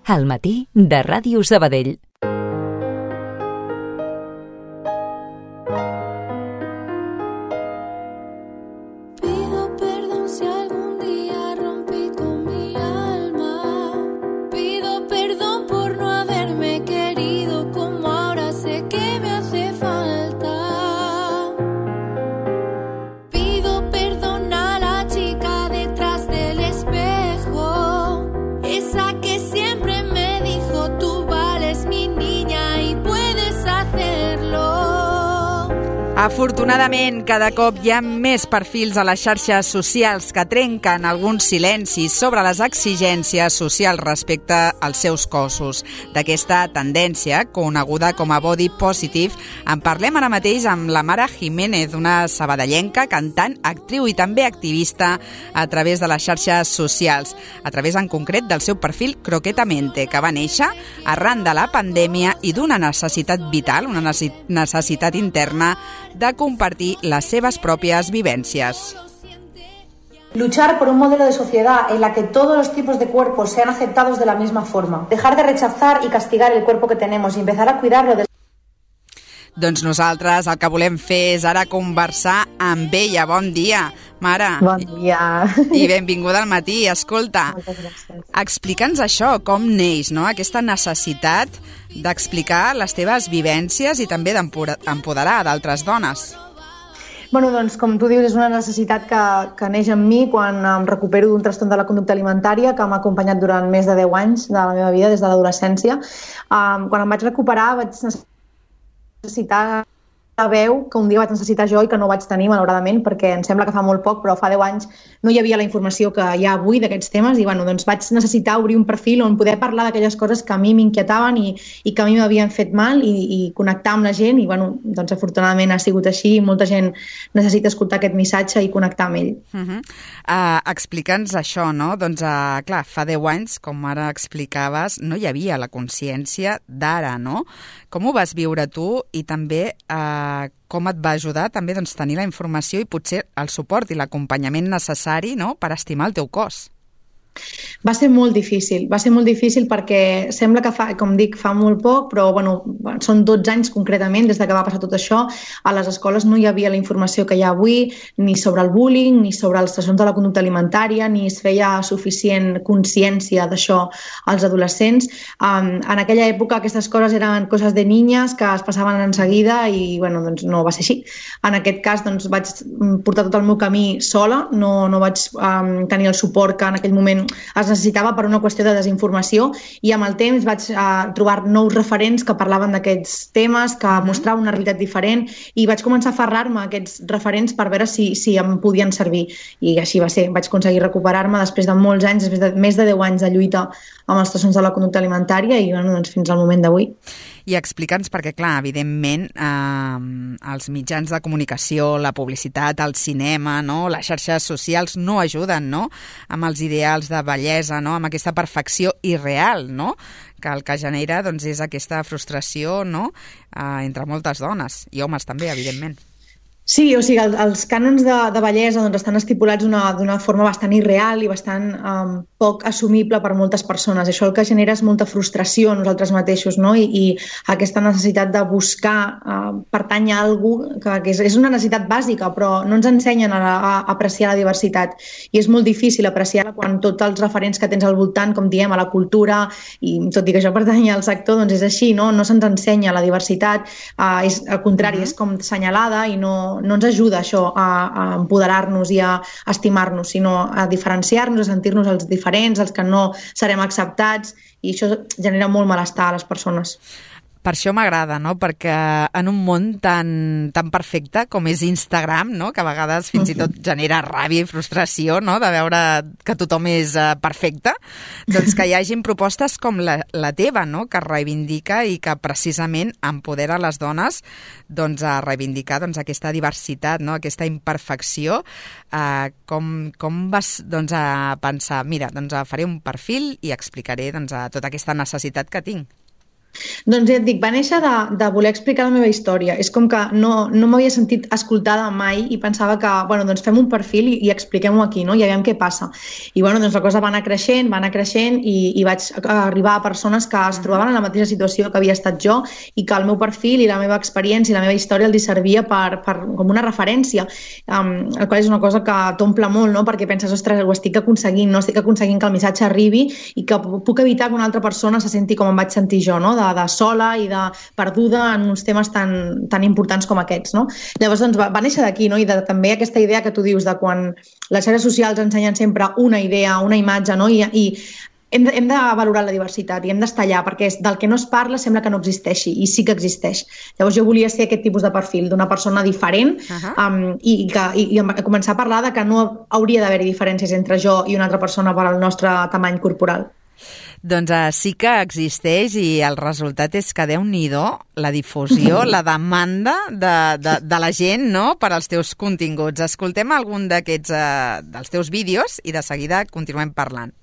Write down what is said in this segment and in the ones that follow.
al matí de Ràdio Sabadell. Afortunadament, cada cop hi ha més perfils a les xarxes socials que trenquen alguns silencis sobre les exigències socials respecte als seus cossos. D'aquesta tendència, coneguda com a body positive, en parlem ara mateix amb la Mara Jiménez, una sabadellenca, cantant, actriu i també activista a través de les xarxes socials, a través en concret del seu perfil Croquetamente, que va néixer arran de la pandèmia i d'una necessitat vital, una necessitat interna de compartir las seves propias vivencias. Luchar por un modelo de sociedad en la que todos los tipos de cuerpos sean aceptados de la misma forma. Dejar de rechazar y castigar el cuerpo que tenemos y empezar a cuidarlo. Doncs nosaltres el que volem fer és ara conversar amb ella. Bon dia, Mara. Bon dia. I benvinguda al matí. Escolta, explica'ns això, com neix, no? Aquesta necessitat d'explicar les teves vivències i també d'empoderar d'altres dones. Bueno, doncs, com tu dius, és una necessitat que neix en mi quan em recupero d'un trastorn de la conducta alimentària que m'ha acompanyat durant més de 10 anys de la meva vida, des de l'adolescència. Quan em vaig recuperar vaig necessitar la veu que un dia vaig necessitar jo i que no vaig tenir, malauradament, perquè em sembla que fa molt poc, però fa 10 anys no hi havia la informació que hi ha avui d'aquests temes i doncs vaig necessitar obrir un perfil on poder parlar d'aquelles coses que a mi m'inquietaven i que a mi m'havien fet mal i connectar amb la gent i doncs afortunadament ha sigut així i molta gent necessita escoltar aquest missatge i connectar amb ell. Explica'ns això, no? Doncs clar, fa 10 anys, com ara explicaves, no hi havia la consciència d'ara, no? Com ho vas viure tu i també com et va ajudar també tenir la informació i potser el suport i l'acompanyament necessari, no?, per estimar el teu cos? Va ser molt difícil perquè sembla que com dic, fa molt poc, però són 12 anys concretament des que va passar tot això. A les escoles no hi havia la informació que hi ha avui, ni sobre el bullying, ni sobre els trastorns de la conducta alimentària, ni es feia suficient consciència d'això als adolescents. En aquella època aquestes coses eren coses de niñas que es passaven en seguida i doncs no va ser així. En aquest cas vaig portar tot el meu camí sola, no vaig tenir el suport que en aquell moment es necessitava per una qüestió de desinformació i amb el temps vaig trobar nous referents que parlaven d'aquests temes, que mostraven una realitat diferent i vaig començar a aferrar-me a aquests referents per veure si em podien servir i així va ser. Vaig aconseguir recuperar-me després de molts anys, després de més de 10 anys de lluita amb els trastorns de la conducta alimentària i fins al moment d'avui. I explica'ns perquè, clar, evidentment, els mitjans de comunicació, la publicitat, el cinema, no?, les xarxes socials no ajuden, no?, amb els ideals de bellesa, no?, amb aquesta perfecció irreal, no?, que el que genera és aquesta frustració, no?, entre moltes dones i homes també, evidentment. Sí, o sigui, els cànons de bellesa estan estipulats d'una forma bastant irreal i bastant poc assumible per moltes persones. Això el que genera és molta frustració a nosaltres mateixos, no? I aquesta necessitat de buscar pertànyer a algú que és una necessitat bàsica, però no ens ensenyen a apreciar la diversitat. I és molt difícil apreciar-la quan tots els referents que tens al voltant, com diem, a la cultura, i tot i que jo pertany al sector, doncs és així, no? No se'ns ensenya la diversitat, al contrari, és com assenyalada i no ens ajuda això a empoderar-nos i a estimar-nos, sinó a diferenciar-nos, a sentir-nos els diferents, els que no serem acceptats, i això genera molt malestar a les persones. Per això m'agrada, no?, perquè en un món tan perfecte com és Instagram, no?, que a vegades fins i tot genera ràbia i frustració, no?, de veure que tothom és perfecte, doncs que hi hagin propostes com la teva, no?, que reivindica i que precisament empodera les dones a reivindicar aquesta diversitat, no?, aquesta imperfecció. Com vas a pensar, mira, faré un perfil i explicaré tota aquesta necessitat que tinc? Doncs ja et dic, va néixer de voler explicar la meva història. És com que no m'havia sentit escoltada mai i pensava que, bueno, doncs fem un perfil i expliquem-ho aquí, no? I aviam què passa. I bueno, doncs la cosa va anar creixent i vaig arribar a persones que es trobaven en la mateixa situació que havia estat jo i que el meu perfil i la meva experiència i la meva història els servia com una referència, el qual és una cosa que t'omple molt, no? Perquè penses, ostres, ho estic aconseguint, no? Estic aconseguint que el missatge arribi i que puc evitar que una altra persona se senti com em vaig sentir jo, no? De sola i de perduda en uns temes tan importants com aquests, no? Llavors doncs, va néixer d'aquí, no? I també aquesta idea que tu dius de quan les xarxes socials ensenyen sempre una idea, una imatge, no? I hem de valorar la diversitat i hem d'estar allà, perquè del que no es parla sembla que no existeixi, i sí que existeix. Llavors jo volia ser aquest tipus de perfil, d'una persona diferent, i començar a parlar de que no hauria d'haver-hi diferències entre jo i una altra persona per al nostre tamany corporal. Doncs sí que existeix i el resultat és que Déu-n'hi-do la difusió, la demanda de la gent, no?, per als teus continguts. Escoltem algun d'aquests dels teus vídeos i de seguida continuem parlant.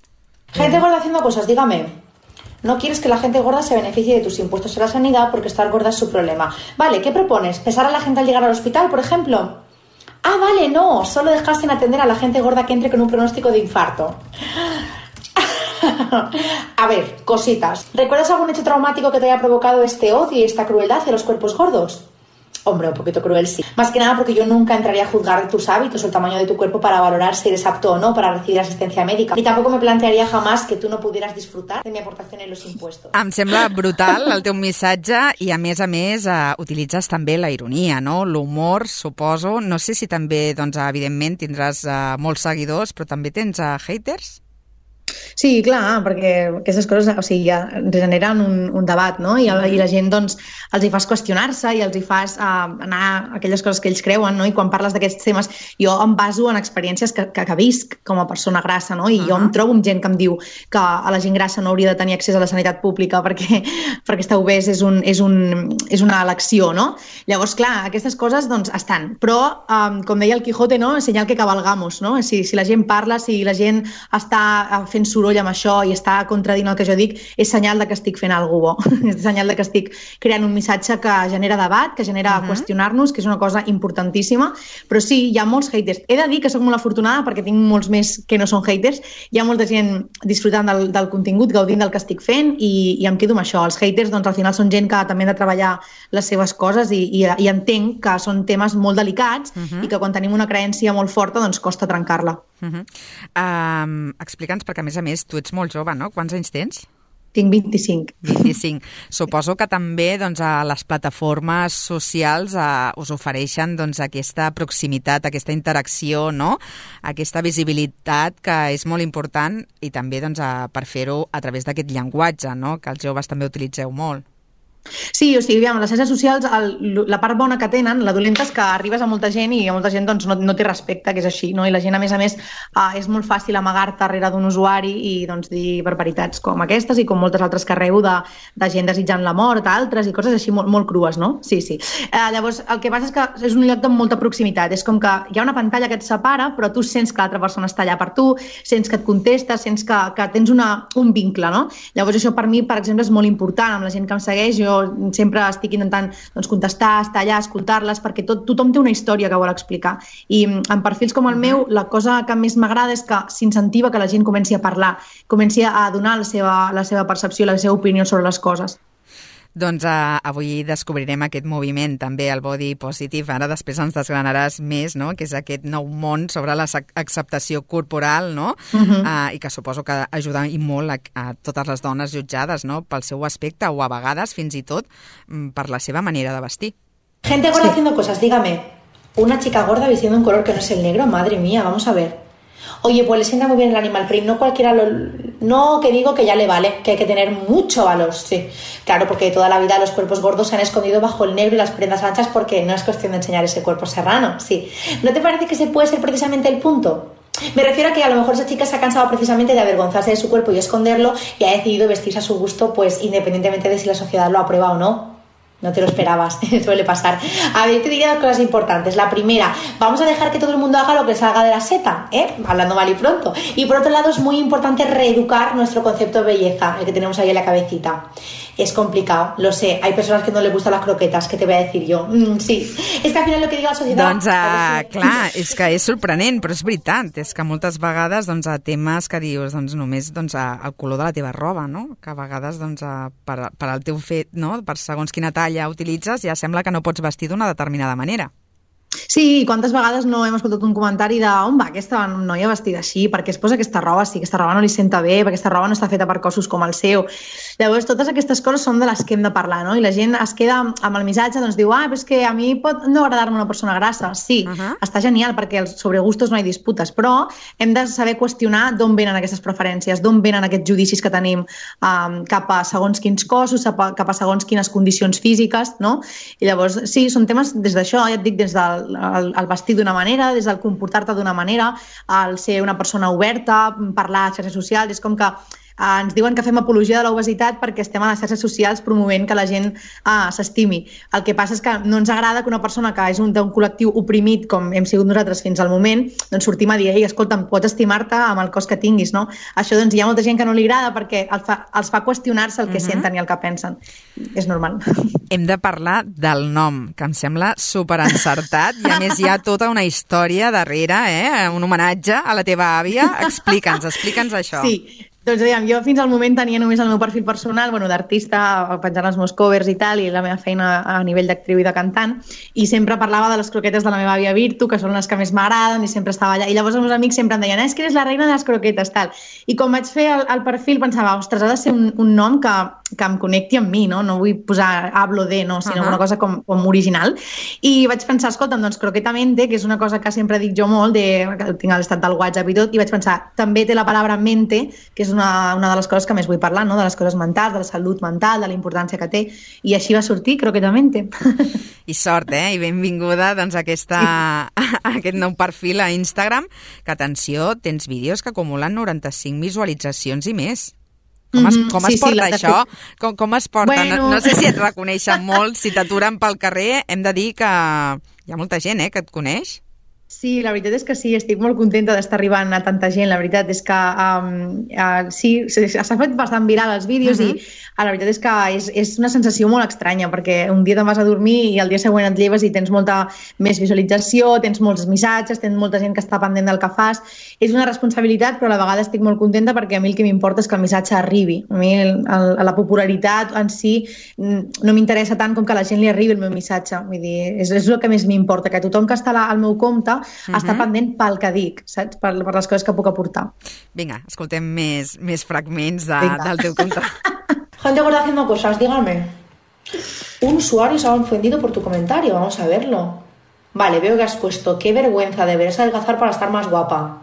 Gente gorda haciendo cosas, dígame. No quieres que la gente gorda se beneficie de tus impuestos a la sanidad porque estar gorda es su problema. Vale, ¿qué propones? ¿Pesar a la gente al llegar al hospital, por ejemplo? Ah, vale, no, solo dejar sin atender a la gente gorda que entre con un pronóstico de infarto. A ver, cositas. ¿Recuerdas algún hecho traumático que te haya provocado este odio y esta crueldad hacia los cuerpos gordos? Hombre, un poquito cruel sí. Más que nada porque yo nunca entraría a juzgar tus hábitos o el tamaño de tu cuerpo para valorar si eres apto o no para recibir asistencia médica. Ni tampoco me plantearía jamás que tú no pudieras disfrutar de mi aportación en los impuestos. Em sembla brutal el teu missatge i, a més, utilitzes també la ironia, no? L'humor, suposo. No sé si també, doncs, evidentment, tindràs molts seguidors, però també tens haters? Sí, clar, perquè aquestes coses, o sigui, ja generen un debat, no? I la gent, doncs, els hi fas qüestionar-se i els hi fas anar a aquelles coses que ells creuen, no? I quan parles d'aquests temes, jo em baso en experiències que visc com a persona grassa, no? I jo em trobo amb gent que em diu que a la gent grassa no hauria de tenir accés a la sanitat pública perquè estar obès és una elecció, no? Llavors, clar, aquestes coses, doncs, estan. Però, com deia el Quijote, no? Senyal que cabalgamos, no? Si la gent parla, si la gent està fent soroll amb això i està contradint el que jo dic, és senyal de que estic fent alguna cosa bo. És senyal de que estic creant un missatge que genera debat, que genera qüestionar-nos, que és una cosa importantíssima. Però sí, hi ha molts haters. He de dir que soc molt afortunada perquè tinc molts més que no són haters. Hi ha molta gent disfrutant del contingut, gaudint del que estic fent i em quedo amb això. Els haters, doncs, al final són gent que també han de treballar les seves coses i entenc que són temes molt delicats i que quan tenim una creença molt forta, doncs costa trencar-la. Explica'ns, perquè a més tu ets molt jove, no? Quants anys tens? Tinc 25. 25. Suposo que també, doncs, a les plataformes socials us ofereixen, doncs, aquesta proximitat, aquesta interacció, no? Aquesta visibilitat que és molt important i també, doncs, per fer-ho a través d'aquest llenguatge, no? Que els joves també utilitzeu molt. Sí, o sigui, les xarxes socials, la part bona que tenen, la dolenta és que arribes a molta gent i a molta gent doncs, no té respecte, que és així, no? I la gent, a més, és molt fàcil amagar-te darrere d'un usuari i doncs, dir barbaritats com aquestes i com moltes altres que arreu de gent desitjant la mort, altres i coses així molt crues, no? Sí. Llavors, el que passa és que és un lloc de molta proximitat, és com que hi ha una pantalla que et separa, però tu sents que l'altra persona està allà per tu, sents que et contesta, sents que tens un vincle, no? Llavors, això per mi, per exemple, és molt important. Amb la gent que em segueix, jo sempre estic intentant contestar, estar allà, escoltar-les, perquè tothom té una història que vol explicar. I en perfils com el meu, la cosa que més m'agrada és que s'incentiva que la gent comenci a parlar, comenci a donar la seva percepció, la seva opinió sobre les coses. Doncs avui descobrirem aquest moviment, també el body positive. Ara després ens desgranaràs més, no?, que és aquest nou món sobre l'acceptació corporal, no? I que suposo que ajuda i molt a totes les dones jutjades, no?, pel seu aspecte o a vegades fins i tot per la seva manera de vestir. Gente gorda haciendo cosas, dígame. Una chica gorda vistiendo un color que no es el negro, madre mía, vamos a ver. Oye, pues le sienta muy bien el animal print, no cualquiera No, que digo que ya le vale, que hay que tener mucho valor, sí. Claro, porque toda la vida los cuerpos gordos se han escondido bajo el negro y las prendas anchas porque no es cuestión de enseñar ese cuerpo serrano, sí. ¿No te parece que ese puede ser precisamente el punto? Me refiero a que a lo mejor esa chica se ha cansado precisamente de avergonzarse de su cuerpo y esconderlo y ha decidido vestirse a su gusto, pues independientemente de si la sociedad lo aprueba o no. No te lo esperabas, suele pasar. A ver, yo te diría dos cosas importantes. La primera, vamos a dejar que todo el mundo haga lo que salga de la seta, hablando mal y pronto. Y por otro lado, es muy importante reeducar nuestro concepto de belleza, el que tenemos ahí en la cabecita. Es complicado, lo sé. Hay personas que no les gustan las croquetas, ¿qué te voy a decir jo? Sí, és que al final el que diu la societat... Doncs, clar, és que és sorprenent, però és veritat. És que moltes vegades, doncs, a temes que dius, doncs, només el color de la teva roba, no? Que a vegades, doncs, per al teu fet, no? Per segons quina talla utilitzes, ja sembla que no pots vestir d'una determinada manera. Sí, quantes vegades no hem escoltat un comentari de on va aquesta noia vestida així, perquè es posa aquesta roba, si aquesta roba no li senta bé, perquè aquesta roba no està feta per cossos com el seu. Llavors, totes aquestes coses són de les que hem de parlar, no? I la gent es queda amb el missatge, doncs diu, però és que a mi pot no agradar-me una persona grassa. Sí, està genial, perquè sobre gustos no hi disputes, però hem de saber qüestionar d'on venen aquestes preferències, d'on venen aquests judicis que tenim cap a segons quins cossos, cap a segons quines condicions físiques, no? I llavors, sí, són temes des d'això, ja et dic, des del el vestir d'una manera, des del comportar-te d'una manera, el ser una persona oberta, parlar a xarxes socials, és com que ens diuen que fem apologia de l'obesitat perquè estem a les xarxes socials promovent que la gent s'estimi. El que passa és que no ens agrada que una persona que és d'un col·lectiu oprimit, com hem sigut nosaltres fins al moment, doncs sortim a dir, escolta'm, pots estimar-te amb el cos que tinguis, no? Això doncs hi ha molta gent que no li agrada perquè els fa qüestionar-se el que senten i el que pensen. És normal. Hem de parlar del nom, que em sembla superencertat i a més hi ha tota una història darrere, un homenatge a la teva àvia. Explica'ns això. Sí. Doncs aviam, jo fins al moment tenia només el meu perfil personal, d'artista, penjant els meus covers i tal, i la meva feina a nivell d'actriu i de cantant, i sempre parlava de les croquetes de la meva àvia Virtu, que són les que més m'agraden, i sempre estava allà. I llavors els meus amics sempre em deien, és que eres la reina de les croquetes, tal. I quan vaig fer el perfil pensava, ostres, ha de ser un nom que em connecti amb mi, no? No vull posar hablo de, no, sinó una cosa com original. I vaig pensar, escolta'm, doncs croquetamente, que és una cosa que sempre dic jo molt, que tinc a l'estat del WhatsApp i tot, i vaig pensar, també té la paraula mente, que és una de les coses que més vull parlar, no? De les coses mentals, de la salut mental, de la importància que té, i així va sortir croquetamente. I sort, i benvinguda doncs, a aquest nou perfil a Instagram, que, atenció, tens vídeos que acumulen 95 visualitzacions i més. Com es porta això? Com es porta? Bueno. No sé si et reconeixen molt, si t'aturen pel carrer, hem de dir que hi ha molta gent que et coneix. Sí, la veritat és que sí, estic molt contenta d'estar arribant a tanta gent. La veritat és que sí, s'ha fet bastant viral els vídeos i la veritat és que és una sensació molt estranya perquè un dia te'n vas a dormir i el dia següent et lleves i tens molta més visualització, tens molts missatges, tens molta gent que està pendent del que fas. És una responsabilitat, però a la vegada estic molt contenta perquè a mi el que m'importa és que el missatge arribi. A mi la popularitat en si no m'interessa tant com que a la gent li arribi el meu missatge. Vull dir, és el que més m'importa, que tothom que està al meu compte està pendent pel que dic, saps? Per les coses que puc aportar. Vinga, escoltem més fragments del teu compte. Gente gorda haciendo cosas, dígame. Un usuario se ha ofendido por tu comentario, vamos a verlo. Vale, veo que has puesto, qué vergüenza, deberías adelgazar para estar más guapa.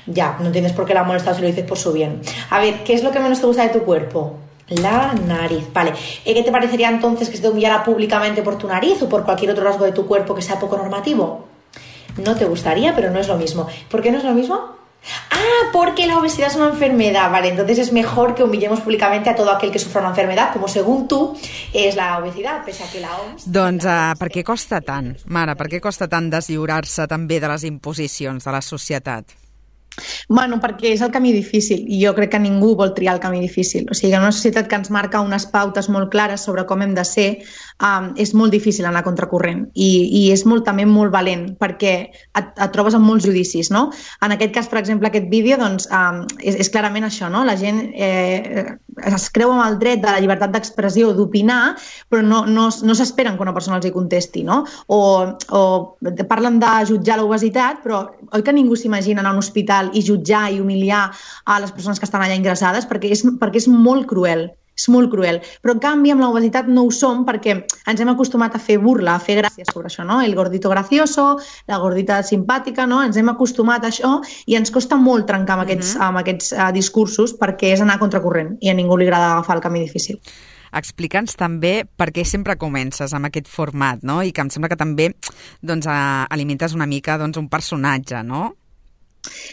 Ya, no entiendes por qué la ha molestado si lo dices por su bien. A ver, ¿qué es lo que menos te gusta de tu cuerpo? La nariz, vale. ¿Qué te parecería entonces que se te humillara públicamente por tu nariz o por cualquier otro rasgo de tu cuerpo que sea poco normativo? No te gustaría, pero no es lo mismo. ¿Por qué no es lo mismo? Porque la obesidad es una enfermedad, vale, entonces es mejor que humillemos públicamente a todo aquel que sufra una enfermedad, como según tú és la obesidad, pese a que la OMS... Doncs per què costa tant, Mare? Per què costa tant deslliurar-se també de les imposicions de la societat? Bueno, perquè és el camí difícil i jo crec que ningú vol triar el camí difícil. O sigui, en una societat que ens marca unes pautes molt clares sobre com hem de ser, és molt difícil anar contracorrent i és també molt valent perquè et trobes amb molts judicis, no? En aquest cas, per exemple, aquest vídeo doncs, és clarament això, no? La gent es creu amb el dret de la llibertat d'expressió, d'opinar, però no s'esperen que una persona els hi contesti, no? O parlen de jutjar l'obesitat, però oi que ningú s'imagina anar a un hospital i jutjar i humiliar a les persones que estan allà ingressades perquè és molt cruel. És molt cruel. Però, en canvi, amb l'obesitat no ho som perquè ens hem acostumat a fer burla, a fer gràcies sobre això, no? El gordito gracioso, la gordita simpàtica, no? Ens hem acostumat a això i ens costa molt trencar amb aquests discursos perquè és anar contracorrent i a ningú li agrada agafar el camí difícil. Explica'ns també per què sempre comences amb aquest format, no? I que em sembla que també doncs, alimentes una mica doncs, un personatge, no?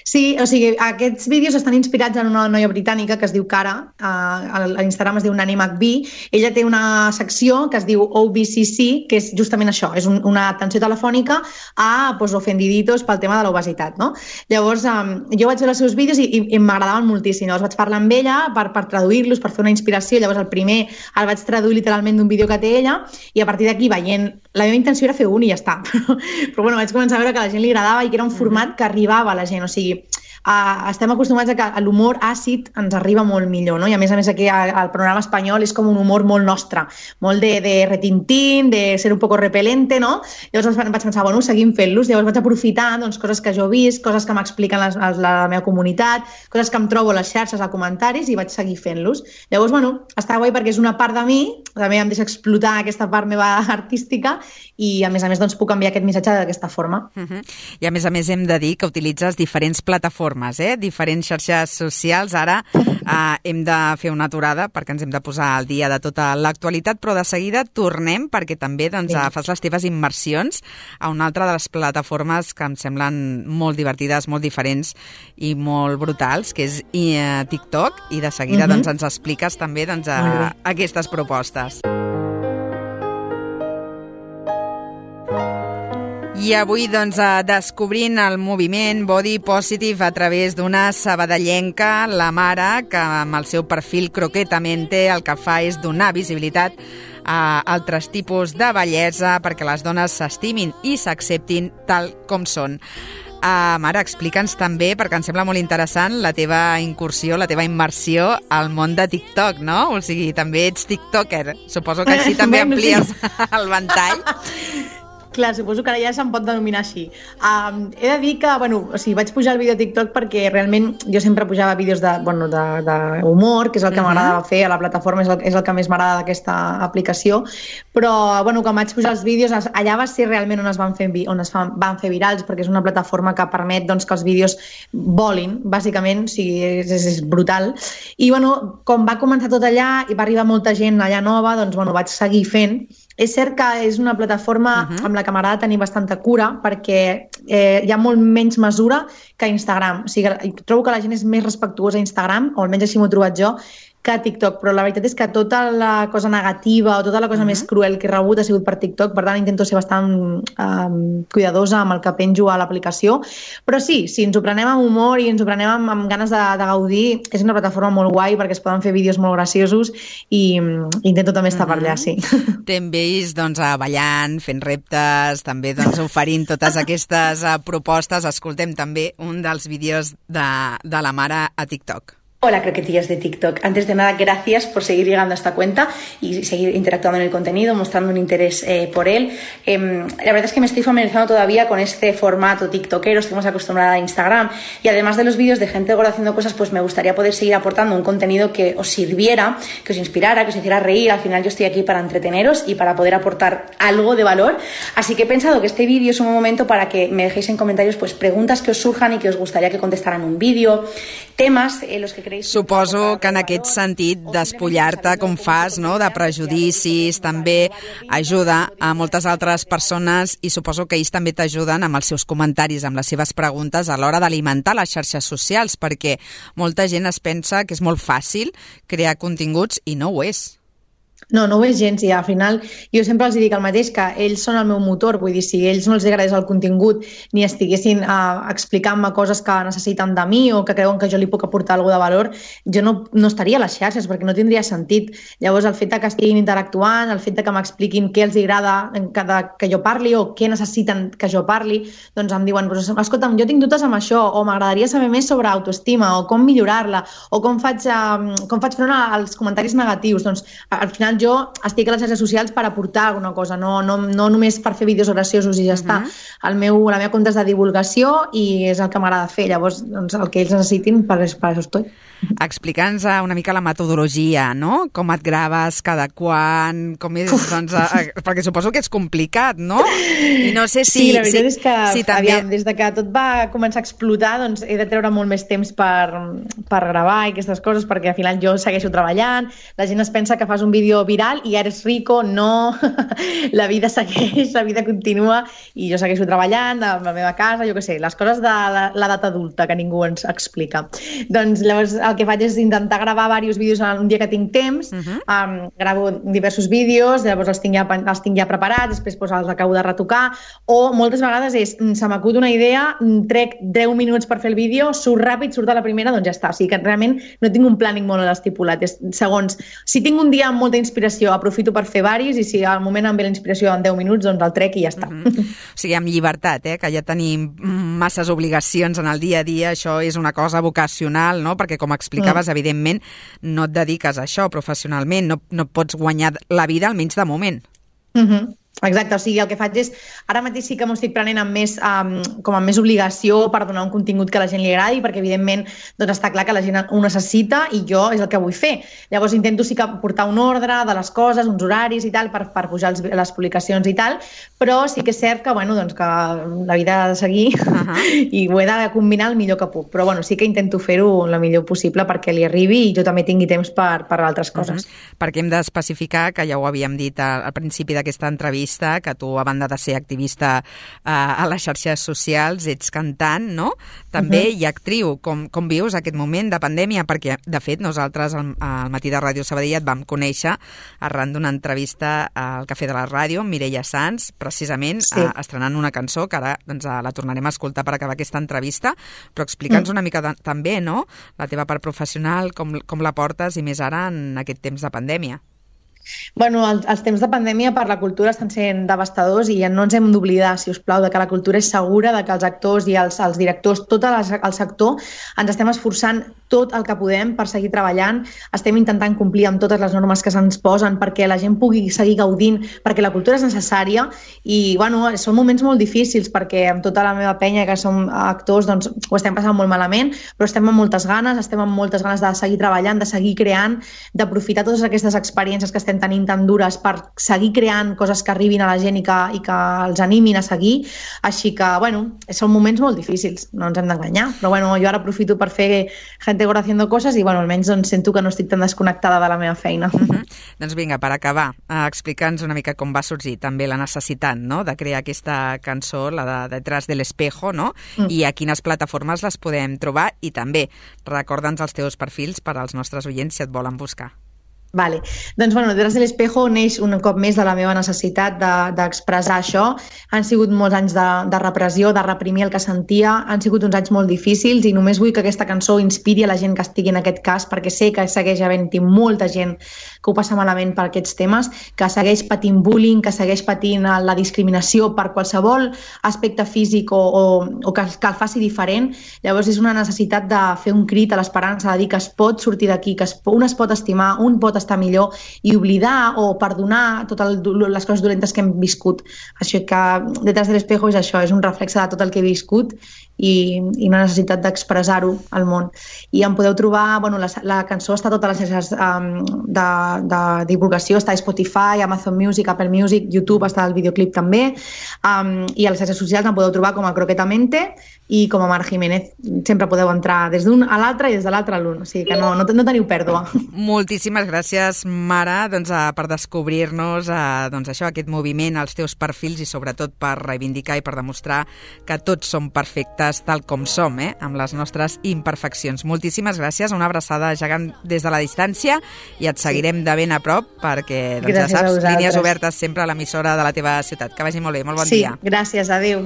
Sí, o sigui, aquests vídeos estan inspirats en una noia britànica que es diu Cara, a l'Instagram es diu Nani McBee. Ella té una secció que es diu OBCC, que és justament això, és una atenció telefònica a ofendiditos pel tema de l'obesitat, no? Llavors, jo vaig veure els seus vídeos i m'agradaven moltíssim. Llavors vaig parlar amb ella per traduir-los, per fer una inspiració. Llavors el primer el vaig traduir literalment d'un vídeo que té ella i a partir d'aquí veient... La meva intenció era fer un i ja està. Però bueno, vaig començar a veure que a la gent li agradava i que era un format que arribava a la gent. O sigui, estem acostumats a que l'humor àcid ens arriba molt millor, no? I a més aquí al programa espanyol és com un humor molt nostre, molt de retintín, de ser un poco repelente, no? Llavors vaig pensar, bueno, seguim fent-los. Llavors vaig aprofitar doncs, coses que jo he vist, coses que m'expliquen la meva comunitat, coses que em trobo a les xarxes, a comentaris, i vaig seguir fent-los. Llavors, bueno, està guai perquè és una part de mi, també em deixa explotar aquesta part meva artística i a més doncs, puc enviar aquest missatge d'aquesta forma. I a més hem de dir que utilitzes diferents plataformes, diferents xarxes socials. Ara hem de fer una aturada perquè ens hem de posar al dia de tota l'actualitat, però de seguida tornem perquè també fas les teves immersions a una altra de les plataformes que em semblen molt divertides, molt diferents i molt brutals, que és TikTok, i de seguida ens expliques també aquestes propostes. I avui, descobrint el moviment Body Positive a través d'una sabadellenca, la Mara, que amb el seu perfil Croquetamente el que fa és donar visibilitat a altres tipus de bellesa perquè les dones s'estimin i s'acceptin tal com són. Mara, explica'ns també, perquè em sembla molt interessant, la teva incursió, la teva immersió al món de TikTok, no? O sigui, també ets tiktoker. Suposo que així també amplies el ventall. Clar, suposo que ara ja se'm pot denominar així. He de dir que, vaig pujar el vídeo a TikTok perquè realment jo sempre pujava vídeos d'humor, que és el que m'agrada fer a la plataforma, és el que més m'agrada d'aquesta aplicació, però, quan vaig pujar els vídeos, allà va ser realment on es van fer virals, perquè és una plataforma que permet que els vídeos volin, bàsicament, o sigui, és brutal. I, com va començar tot allà i va arribar molta gent allà nova, vaig seguir fent. És cert que és una plataforma amb la que m'agrada tenir bastanta cura perquè hi ha molt menys mesura que a Instagram. O sigui, trobo que la gent és més respectuosa a Instagram, o almenys així m'ho he trobat jo, que a TikTok, però la veritat és que tota la cosa negativa o tota la cosa més cruel que he rebut ha sigut per TikTok, per tant intento ser bastant cuidadosa amb el que penjo a l'aplicació, però sí, si ens ho prenem amb humor i ens ho prenem amb ganes de gaudir, és una plataforma molt guai perquè es poden fer vídeos molt graciosos i intento també estar per allà, sí. T'hem vist ballant, fent reptes, també oferint totes aquestes propostes. Escoltem també un dels vídeos de la Mara a TikTok. Hola, croquetillas de TikTok. Antes de nada, gracias por seguir llegando a esta cuenta y seguir interactuando en el contenido, mostrando un interés por él. La verdad es que me estoy familiarizando todavía con este formato tiktokero, estoy más acostumbrada a Instagram, y además de los vídeos de gente gorda haciendo cosas, pues me gustaría poder seguir aportando un contenido que os sirviera, que os inspirara, que os hiciera reír. Al final yo estoy aquí para entreteneros y para poder aportar algo de valor, así que he pensado que este vídeo es un buen momento para que me dejéis en comentarios pues preguntas que os surjan y que os gustaría que contestaran en un vídeo, temas en los que creéis... Suposo que en aquest sentit despullar-te com fas, no?, de prejudicis, també ajuda a moltes altres persones, i suposo que ells també t'ajuden amb els seus comentaris, amb les seves preguntes a l'hora d'alimentar les xarxes socials, perquè molta gent es pensa que és molt fàcil crear continguts i no ho és. No ho és gens, i al final jo sempre els dic el mateix, que ells són el meu motor, vull dir, si a ells no els agradés el contingut ni estiguessin explicant-me coses que necessiten de mi o que creuen que jo li puc aportar alguna de valor, jo no estaria a les xarxes perquè no tindria sentit. Llavors el fet que estiguin interactuant, el fet que m'expliquin què els agrada que jo parli o què necessiten que jo parli, doncs em diuen, escolta'm, jo tinc dubtes amb això, o m'agradaria saber més sobre autoestima, o com millorar-la, o com faig front als comentaris negatius. Doncs al final jo estic a les xarxes socials per aportar alguna cosa, no només per fer vídeos graciosos i ja està. La meva compte és de divulgació i és el que m'agrada fer, llavors el que ells necessitin, per això estoy. Explica'ns una mica la metodologia, no? Com et graves, cada quan, com és, doncs, perquè suposo que és complicat, no? I no sé si... Sí, la veritat és que, també... aviam, des de que tot va començar a explotar, doncs he de treure molt més temps per gravar i aquestes coses, perquè al final jo segueixo treballant, la gent es pensa que fas un vídeo viral i eres rico, no, la vida segueix, la vida continua, i jo segueixo treballant a la meva casa, jo què sé, les coses de l'edat adulta que ningú ens explica. Doncs llavors el que faig és intentar gravar diversos vídeos un dia que tinc temps, gravo diversos vídeos, llavors els tinc ja preparats, després els acabo de retocar, o moltes vegades se m'acut una idea, trec 10 minuts per fer el vídeo, surt ràpid, surt a la primera, doncs ja està. O sigui que realment no tinc un plàning molt estipulat. Segons, si tinc un dia amb molta inspiració, aprofito per fer diversos, i si al moment em ve la inspiració en 10 minuts, doncs el trec i ja està. O sigui, amb llibertat, que ja tenim masses obligacions en el dia a dia, això és una cosa vocacional, no? Perquè com explicaves, evidentment, no et dediques a això professionalment, no pots guanyar la vida, almenys de moment. Exacte, o sigui, el que faig és, ara mateix sí que m'ho estic prenent amb més obligació per donar un contingut que a la gent li agradi, perquè evidentment doncs està clar que la gent ho necessita i jo és el que vull fer. Llavors intento sí que portar un ordre de les coses, uns horaris i tal, per pujar les publicacions i tal, però sí que és cert que, doncs, que la vida ha de seguir i ho he de combinar el millor que puc. Però sí que intento fer-ho el millor possible perquè li arribi i jo també tingui temps per altres coses. Perquè hem d'especificar, que ja ho havíem dit al principi d'aquesta entrevista, que tu, a banda de ser activista a les xarxes socials, ets cantant, no? També i actriu. Com vius aquest moment de pandèmia? Perquè, de fet, nosaltres al Matí de Ràdio Sabadell et vam conèixer arran d'una entrevista al Cafè de la Ràdio amb Mireia Sans, precisament estrenant una cançó que ara la tornarem a escoltar per acabar aquesta entrevista, però explica'ns una mica també, no?, la teva part professional, com la portes, i més ara en aquest temps de pandèmia. Els temps de pandèmia per la cultura estan sent devastadors i no ens hem d'oblidar, si us plau, de que la cultura és segura, de que els actors i els directors, tot el sector, ens estem esforçant tot el que podem per seguir treballant, estem intentant complir amb totes les normes que se'ns posen perquè la gent pugui seguir gaudint, perquè la cultura és necessària i són moments molt difícils perquè amb tota la meva penya que som actors doncs ho estem passant molt malament, però estem amb moltes ganes de seguir treballant, de seguir creant, d'aprofitar totes aquestes experiències que estem tenint tan dures per seguir creant coses que arribin a la gent i que els animin a seguir, així que són moments molt difícils, no ens hem d'enganyar, però jo ara aprofito per fer Gente Gorda haciendo cosas i almenys sento que no estic tan desconnectada de la meva feina. Doncs vinga, per acabar, explica'ns una mica com va sorgir també la necessitat, no?, de crear aquesta cançó, la de Detrás del Espejo, no?, i a quines plataformes les podem trobar, i també recorda'ns els teus perfils per als nostres oients si et volen buscar. Vale. Doncs, Detrás del Espejo neix un cop més de la meva necessitat d'expressar això. Han sigut molts anys de repressió, de reprimir el que sentia, han sigut uns anys molt difícils i només vull que aquesta cançó inspiri a la gent que estigui en aquest cas, perquè sé que segueix havent-hi molta gent que ho passa malament per aquests temes, que segueix patint bullying, que segueix patint la discriminació per qualsevol aspecte físic o que el faci diferent. Llavors és una necessitat de fer un crit a l'esperança, de dir que es pot sortir d'aquí, que un es pot estimar, un pot estar millor i oblidar o perdonar totes les coses dolentes que hem viscut. Així que Detrás del Espejo és això, és un reflexe de tot el que he viscut i una necessitat d'expressar-ho al món. I em podeu trobar, la cançó està a totes les xarxes de divulgació, està a Spotify, Amazon Music, Apple Music, YouTube, està el videoclip també, i a les xarxes socials em podeu trobar com a Croquetamente i com a Mar Jiménez. Sempre podeu entrar des d'un a l'altre i des de l'altre a l'un, o sigui que no teniu pèrdua. Moltíssimes gràcies, Mara, per descobrir-nos aquest moviment, els teus perfils i sobretot per reivindicar i per demostrar que tots som perfectes tal com som, amb les nostres imperfeccions. Moltíssimes gràcies, una abraçada gegant des de la distància i et seguirem de ben a prop perquè, ja saps, línies obertes sempre a l'emissora de la teva ciutat. Que vagi molt bé, molt bon dia. Sí, gràcies, adéu.